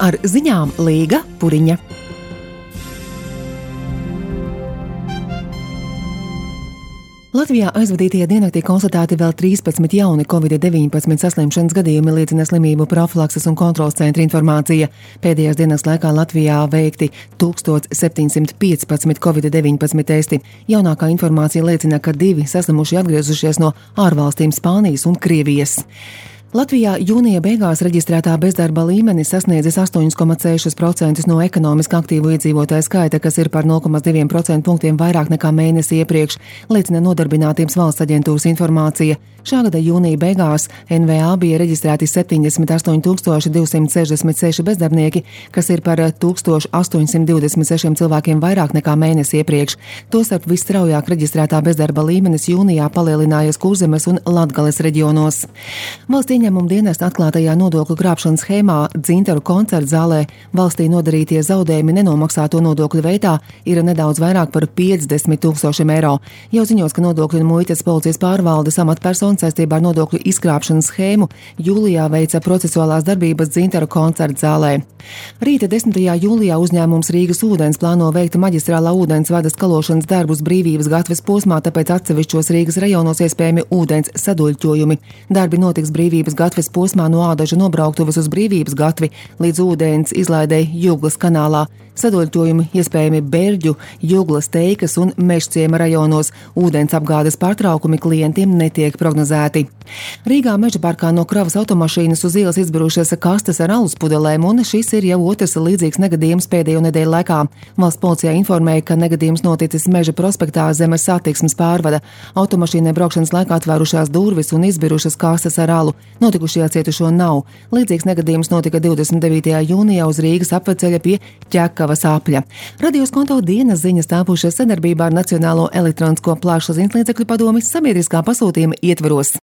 Ar ziņām Līga Puriņa. Latvijā aizvadītajā diennaktī konstatēti vēl 13 jauni Covid-19 saslimšanas gadījumi, liecina slimību profilakses un kontroles centra informācija. Pēdējās dienas laikā Latvijā veikti 1715 Covid-19 testi. Jaunākā informācija liecina, ka 2 saslimušie atgriezušies no ārvalstīm Spānijas un Krievijas. Latvijā jūnija beigās reģistrētā bezdarba līmenis sasniedzis 8,6% no ekonomiski aktīvu iedzīvotāju skaita, kas ir par 0,2% punktiem vairāk nekā mēnesi iepriekš, liecina Nodarbinātības valsts aģentūras informācija. Šā gada jūnija beigās NVA bija reģistrēti 78 266 bezdarbnieki, kas ir par 1826 cilvēkiem vairāk nekā mēnesi iepriekš. Tostarp visstraujāk reģistrētā bezdarba līmenis jūnijā palielinājies Kurzemes un Latgales reģionos. Valsts ieņēmuma dienesta atklātajā nodokļu krāpšanas schēmā Dzintaru koncerta zālē valstī nodarītie zaudējumi nenomaksāto nodokļu veidā ir nedaudz vairāk par 50 000 eiro. Jau ziņos, ka nodokļu un muitas policijas pārvaldes amatpersona saistībā ar nodokļu izkrāpšanas schēmu jūlijā veica procesuālās darbības Dzintaru koncerta zālē. Rīta 10. jūlijā uzņēmums Rīgas ūdens plāno veikt maģistrālā ūdensvada skalošanas darbus Brīvības gatves posmā, tāpēc atsevišķos Rīgas rajonos iespējami ūdens saduļķojumi. Darbi notiks Brīvības gatves posmā no Ādaža nobrauktuvas uz Brīvības gatvi līdz ūdens izlaidei Juglas kanālā. Saduļķojumi iespējami Berģu, Juglas, Teikas un Mežciema rajonos. Ūdens apgādes pārtraukumi klientiem netiek prognozēti. Rīgā Mežaparkā no kravas automašīnas uz ielas izbirušas kastes ar alus pudelēm, un šis ir jau otrs līdzīgs negadījums pēdējo nedēļu laikā. Valsts policijā informēja, ka negadījums noticis Meža prospektā zem satiksmes pārvada. Automašīnai braukšanas laikā atvērušās durvis un izbirušas kastes ar alu. Notikušajā cietušo nav. Līdzīgs negadījums notika 29. jūnijā uz Rīgas apveceļa pie Ķekavas apļa. Radios konto dienas ziņas tāpušas sadarbībā ar Nacionālo elektronisko plašsaziņas līdzekļu padomi sabiedriskā pasūtījuma ietveros.